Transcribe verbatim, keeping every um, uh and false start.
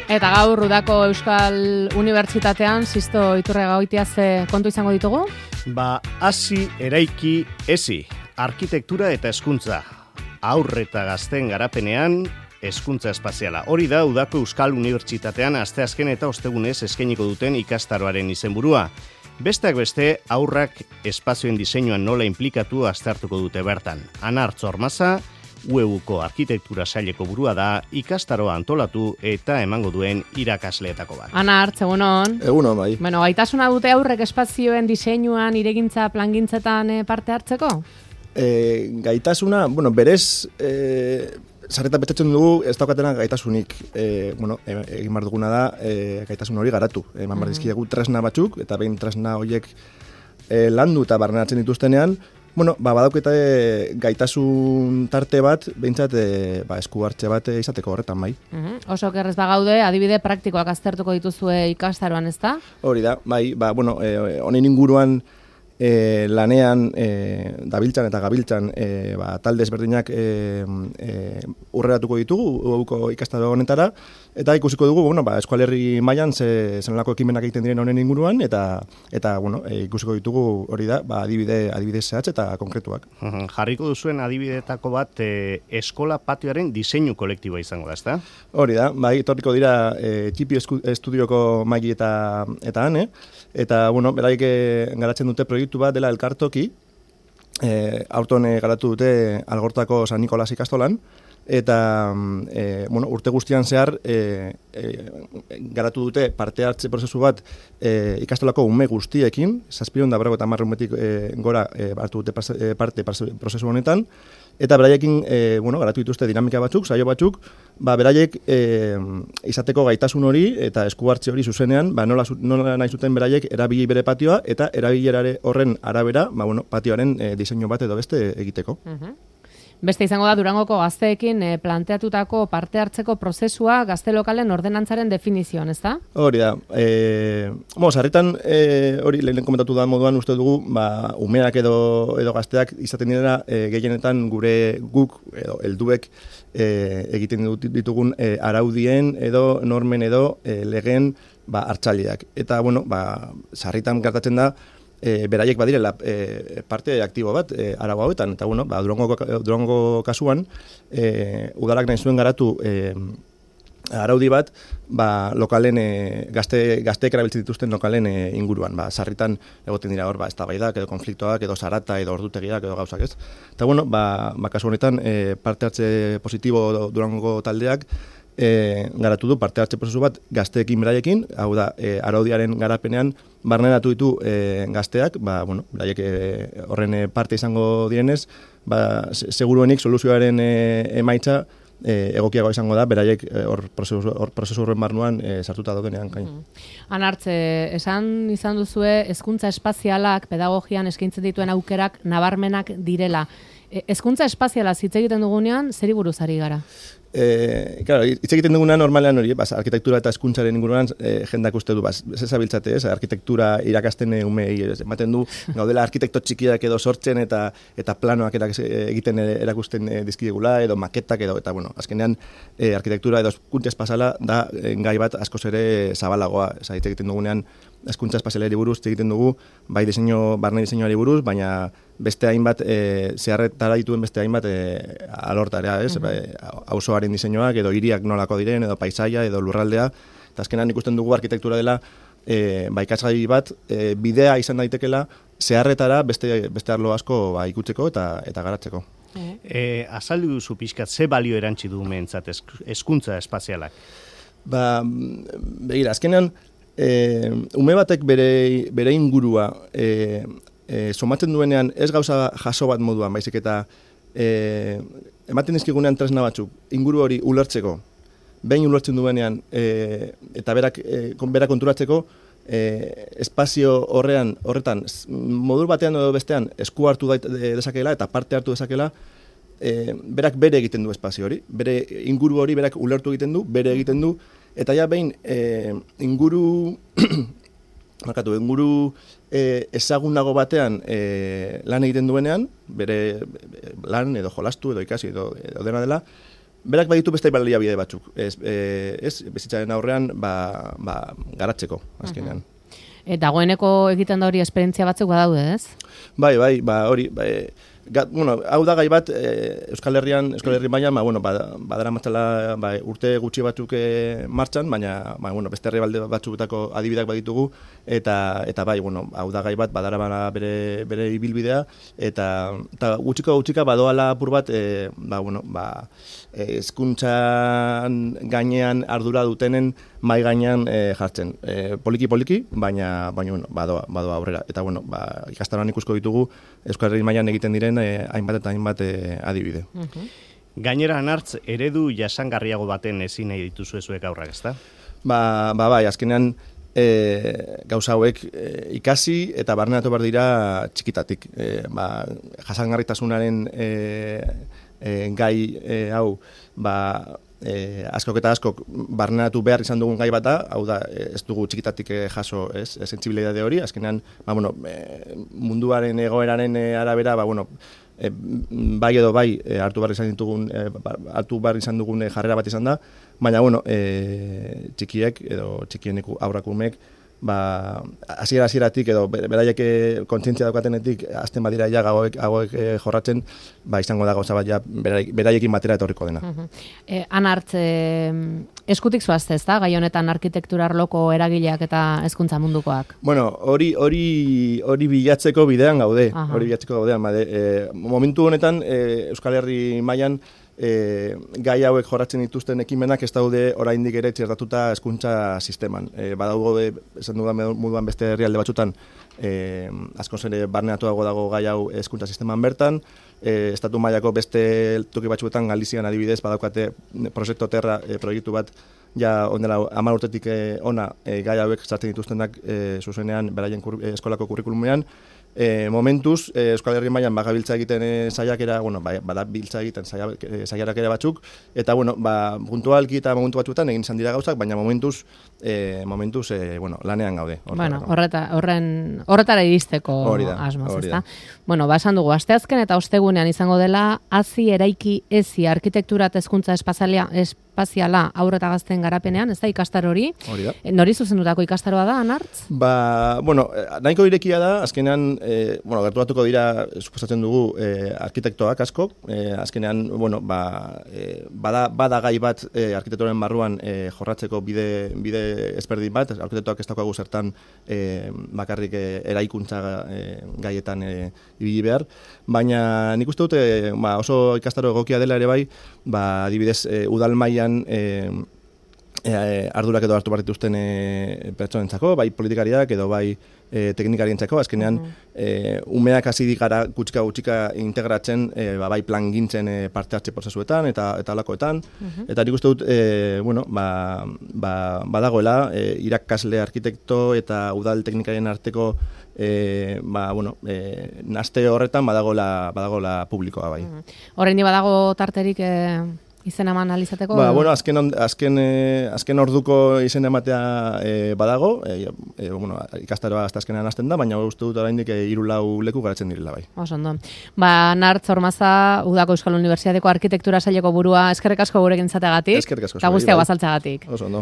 Eta gaur Udako Euskal Unibertsitatean Sisto Iturriaga Goitiaz kontu izango ditugu? Ba, hasi eraiki ezi, arkitektura eta hezkuntza. Haur eta gazteen garapenean hezkuntza espaziala. Hori da Udako Euskal Unibertsitatean asteazken eta ostegunez eskainiko duten ikastaroaren izenburua. Besteak beste, haurrak espazioen diseinuan nola inplikatu aztertuko dute bertan. Ana Artzormaza, U E Uko arkitektura saileko burua da, ikastaroa antolatu eta emango duen irakasleetako bat. Ana Artz, egunon. Egunon, bai. Bueno, gaitasuna dute aurrek espazioen diseinuan, iregintza, plangintzetan parte hartzeko? E, gaitasuna, bueno, berez, e, sarreta betzatzen dugu ez daukatena gaitasunik. E, bueno, egin behar duguna da, e, gaitasun hori garatu. Eman behar dizkiegu tresna batzuk, eta behin tresna horiek e, landu eta barrenatzen dituztenean, bueno, ba, badauketa gaitasun tarte bat, behintzat e, ba, esku hartze bat izateko horretan bai. Uh-huh. Oso kerrez bagaude, adibide praktikoak aztertuko dituzue ikastaroan, ez da? Hori da, bai, ba, bueno, e, honen inguruan e, lanean e, dabiltzan eta gabiltzan e, ba, talde ezberdinak e, e, urreratuko ditugu uko ikastaro honetara, eta ikusiko dugu, bueno, ba, eskualerri mailan ze zenolako ekimenak egiten diren honen inguruan, eta eta bueno, e, ikusiko ditugu hori da, ba, adibide, adibide zehatz eta konkretuak. Uh-huh. Jarriko duzuen adibidetako bat e, eskola patioaren diseinu kolektiboa izango da, ezta? Hori da, bai, etorriko dira e, Txipi estudioko maili eta eta ane, eta bueno, beraik garatzen dute proiektu bat dela elkartoki, e, aurton garatu dute Algortako San Nikolas ikastolan, eta e, bueno, urte guztian zehar e, e, garatu dute parte hartze prozesu bat e, ikastolako ume guztiekin, zazpiehun da berrogeita hamar umetik e, gora e, hartu dute parte, parte prozesu honetan, eta beraiekin e, bueno, garatu dituzte dinamika batzuk, saio batzuk, ba, beraiek e, izateko gaitasun hori eta esku hartze hori zuzenean, ba, nola, nola nahi zuten beraiek erabili bere patioa, eta erabilerare horren arabera, ba, bueno, patioaren e, diseinu bat edo beste egiteko. Uh-huh. Beste izango da Durangoko gazteekin e, planteatutako parte hartzeko prozesua gazte lokalen ordenantzaren definizioan, ez da? Hori da. E, mo, sarritan e, hori lehen komentatu da moduan uste dugu, ba, umeak edo, edo gazteak izaten direla e, gehienetan gure guk edo helduek e, egiten ditugun e, araudien edo normen edo e, legen ba, hartzaileak. Eta, bueno, ba, sarritan gertatzen da, E, beraiek badirela e, parte aktibo bat e, arau hauetan, eta bueno, ba, Durango, Durango kasuan e, udalak nahi zuen garatu e, araudi bat ba, lokalen, e, gazte, gazteek erabiltzen dituzten lokalen e, inguruan, ba, sarritan egoten dira hor, ba, eztabaidak edo konfliktoak, edo zarata, edo ordutegiak, edo gauzak ez. Eta bueno, ba, ba kasu honetan e, parte hartze positibo Durango taldeak E, garatu du parte hartze prozesu bat gazteekin beraiekin, hau da, e, araudiaren garapenean barneratu ditu e, gazteak, ba, bueno, beraiek e, horren e, parte izango direnez, ba, seguruenik soluzioaren e, emaitza e, egokiago izango da, beraiek hor e, prozesu, prozesu horren barnuan e, sartuta daudenean gain. Mm. Anartze, esan izan duzue, hezkuntza espazialak pedagogian eskaintzen dituen aukerak nabarmenak direla. E, hezkuntza espaziala hitz egiten dugunean, zeri buruz ari gara? Eh, claro, hitz egiten dugunean normalean hori, bas, arkitektura eta hezkuntzaren inguruan eh, jendak uste du, bas, ez ezabiltzate, ez, arkitektura irakasten umei, ematen du, gaudela arkitekto txikiak edo sortzen eta eta planoak erak, egiten erakusten dizkigula, edo maketak edo, eta bueno, azkenean eh, arkitektura edo hezkuntza espazala da eh, gai bat askoz ere zabalagoa, ez hitz egiten dugunean hezkuntza espazialari buruz hitz egiten dugu, bai diseinu, barne diseinuari buruz, baina beste hainbat, e, zeharretara dituen beste hainbat e, alortarea, ez? Uh-huh. Auzoaren diseinuak, edo hiriak nolako diren, edo paisaia, edo lurraldea, eta azkenan ikusten dugu arkitektura dela, e, ba, ikasgai bat, e, bidea izan daitekela, zeharretara beste, beste arlo asko ba, ikutzeko eta, eta garatzeko. Uh-huh. E, azaldu duzu pixkat, ze balio erantzi du mentzat hezkuntza espazialak? Ba, begira, azkenan, e, ume batek bere, bere ingurua, e, E, somatzen duenean ez gauza jaso bat moduan, baizik eta e, ematen dizkigunean tresna batzuk, inguru hori ulertzeko, behin ulertzen duenean e, eta berak, e, berak konturatzeko, e, espazio horrean, horretan, modur batean edo bestean esku hartu dezakela eta parte hartu dezakela, e, berak bere egiten du espazio hori, bere inguru hori berak ulertu egiten du, bere egiten du, eta ja behin e, inguru... Markatu, inguru e, ezagunago batean e, lan egiten duenean, bere lan edo jolastu edo ikasi edo, edo dena dela, berak baditu beste baliabide batzuk. Ez, e, ez bizitzaren aurrean ba, ba, garatzeko, azkenean. E, dagoeneko egiten da hori esperientzia batzuk badaude, ez? Bai, bai, ba, hori, ba, Gat, bueno, hau da gai bat, e, Euskal Herrian, Euskal Herri mailan, ba, bueno, ba, badara matzala ba, urte gutxi batzuk e, martxan, baina ba, bueno, beste herrialde batzuketako adibidak baditugu, eta, eta bai, bueno, hau da gai bat, badara bana bere, bere ibilbidea, eta, eta gutxiko gutxika badoala apur bat, e, ba, bueno, ba, hezkuntzan gainean ardura dutenen mai gainean e, jartzen. E, poliki poliki, baina, baina bueno, badoa, badoa aurrera. Eta bueno, ba, ikastaroan ikusko ditugu Euskal Herri mailan egiten diren eh, hainbat eta hainbat eh, adibide. Uh-huh. Gainera, Anartz, eredu jasangarriago baten ezin nahi dituzu zuek aurrak, ezta? Ba, ba, bai, azkenean e, gauza hauek e, ikasi eta barneratu behar dira txikitatik. E, ba, jasangarritasunaren e, e, gai e, hau, ba, E, askok eta askok barneratu behar izan dugun gai bat da, hau da, ez dugu txikitatik jaso, ez, sentsibilitate hori, azkenean, ba, bueno, e, munduaren egoeraren arabera, ba, bueno, e, bai edo bai e, hartu behar izan ditugun, e, hartu behar izan dugun e, jarrera bat izan da, baina, bueno, e, txikiek edo txikienek aurrakumek, ba, hasiera hasieratik edo beraiek kontzientzia daukatenetik azten badira ja gagoek, gagoek e, jorratzen, ba, izango da gauza bat ja beraiekin batera etorriko dena. Uh-huh. eh, Anartz, eh, eskutik zoazte, ez da? Gai honetan arkitektura arloko eragileak eta hezkuntza mundukoak? Bueno, hori hori hori bilatzeko bidean gaude, uh-huh. hori bilatzeko gaudean, bade, e, momentu honetan e, Euskal Herri mailan E, gai hauek jorratzen dituzten ekimenak ez daude oraindik ere txertatuta hezkuntza sisteman. E, badaugo esan dudan moduan beste herrialde batzutan e, askoz ere barneratuago dago gai hau hezkuntza sisteman bertan. E, estatu mailako beste toki batzuetan Galizian adibidez badaukate Proyecto Terra e, proiektu bat ja ondela hamar urtetik e, ona e, gai hauek sartzen dituztenak e, zuzenean beraien kur, e, eskolako kurrikulumean. E, momentuz, e, Euskal Herri mailan bagabiltza egiten e, saiakera, bueno, ba, badabiltza egiten saiarak ere batzuk, eta, bueno, ba, puntualki eta momentu batzuetan egin izan dira gauzak, baina momentuz, e, momentuz, e, bueno, lanean gaude. Bueno, horreta, horren, horretara iristeko asmoz, ezta? Bueno, ba, esan dugu, asteazken eta ostegunean izango dela, hazi eraiki ezi arkitektura eta hezkuntza espaziala, espaziala aurreta gazten garapenean, ez da ikastaro hori? Hori da. E, nori zuzendutako ikastaroa da, Anartz? Ba, bueno, nahiko irekia da, azkenean, E, bueno, gerturatuko dira, suposatzen dugu, e, arkitektoak asko, e, azkenean, bueno, ba, e, bada, bada gai bat e, arkitektoren barruan e, jorratzeko bide, bide ezberdin bat, arkitektoak ez daukagu zertan e, bakarrik e, eraikuntza e, gaietan e, ibili behar, baina nik uste dut e, ba, oso ikastaro egokia dela ere bai, ba, adibidez, e, udal mailan e, E, ardurak edo hartu barrituzten e, pertsonentzako, bai politikariak edo bai e, teknikarientzako, azkenean uh-huh. e, umeak hasi gara gutxika gutxika integratzen e, ba, bai plan gintzen e, parte hartze prozesuetan eta eta alakoetan, uh-huh. eta nik uste dut e, bueno, ba, ba, badagoela e, irakasle arkitekto eta udal teknikarien arteko e, ba, bueno, e, naste horretan badagoela, badagoela publikoa bai. Uh-huh. Horrein badago tarterik e... izen eman alizateko? Ba, bueno, azken, azken, eh, azken orduko izen ematea eh, badago, eh, eh, bueno, ikastaroa hasta azkenean hasten da, baina uste dut oraindik eh, hiru lau leku garatzen direla bai. Oso ondo. Ba, Anartz Ormaza, Udako Euskal Unibertsitateko arkitektura saileko burua, eskerrik asko gurekin zateagatik. Eskerrik asko. Eta guztiak bazaltzeagatik. Oso ondo.